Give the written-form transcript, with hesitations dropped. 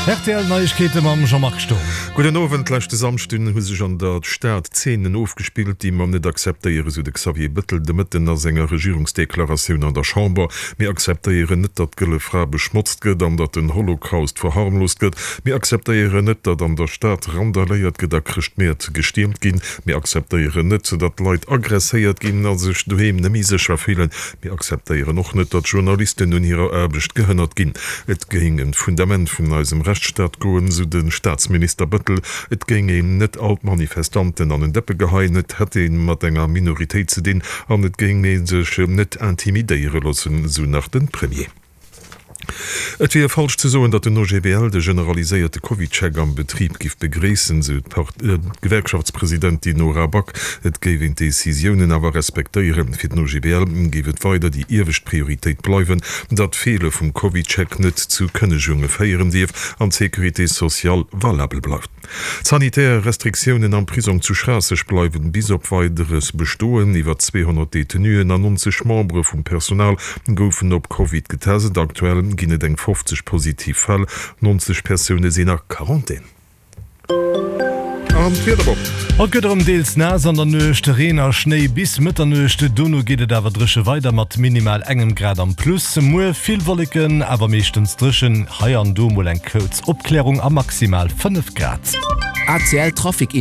Rtl Neiegkeete mam Jean-Marc Sturm. Gudden Owend. Leschte Samschden hu sech an der Stad Zeenen ofgespillt, déi mer net akzeptéieren, sou de Xavier Bëttel de Mëtten a senger Regierungsdeklaratioun an der Chamber. Mir akzeptéieren net, datt d'Gëlle Fra beschmotzt gëtt an datt den Holocaust verharmlost gëtt. Mir akzeptéieren net, datt an der Stad randaléiert gëtt a Chrëschtmäert gestiermt ginn. Mir akzeptéieren net, datt Leit aggresséiert ginn a sech doheem net méi sécher fillen. Mir akzeptéieren och net, datt Journalisten un hirer Aarbecht gehënnert ginn. Et géing ëm d'Fundament vun eisem Rechtsstaat goen, sou de Staatsminister Bëttel. Et géing een net all d'Manifestanten an en Dëppe geheien, et hätt ee mat enger Minoritéit ze dinn an et géing ee sech net intimidéiere loossen, sou nach de Premier. Et wier falsch ze soen, datt den OGBL de generaliséierte CovidCheck am Betrib giff begréissen, sou d'Gewerkschaftspresidentin Nora Back. Et géif een d'Decisiounen awer respektéieren. Fir den OGBL géif et weider déi iewescht Prioritéit bleiwen, datt d'Feele vum CovidCheck net zu Kënnegunge féieren dierf an d'Sécurité sociale valabel bleift. D'sanitär Restriktiounen am Prisong zu Schraasseg bleiwen bis op Weideres bestoen. Iwwer 200 Detenuen an 90 Membere vum Personal goufen op Covid getest. Aktuell ginn et eng 50 positiv Fäll, 90 Persoune sinn a Quarantän. An d'Wieder op. Haut gëtt erëm deels naass an der Nuecht, Reen a Schnéi bis Mëtternuecht. Dono geet et awer dréche weider mat minimal engem Grad am Plus. Muer vill Wolleken, awer meeschtens dréchen, hei an do mol eng kuerz Opklärung a maximal 5 Grad. ACL Trafic.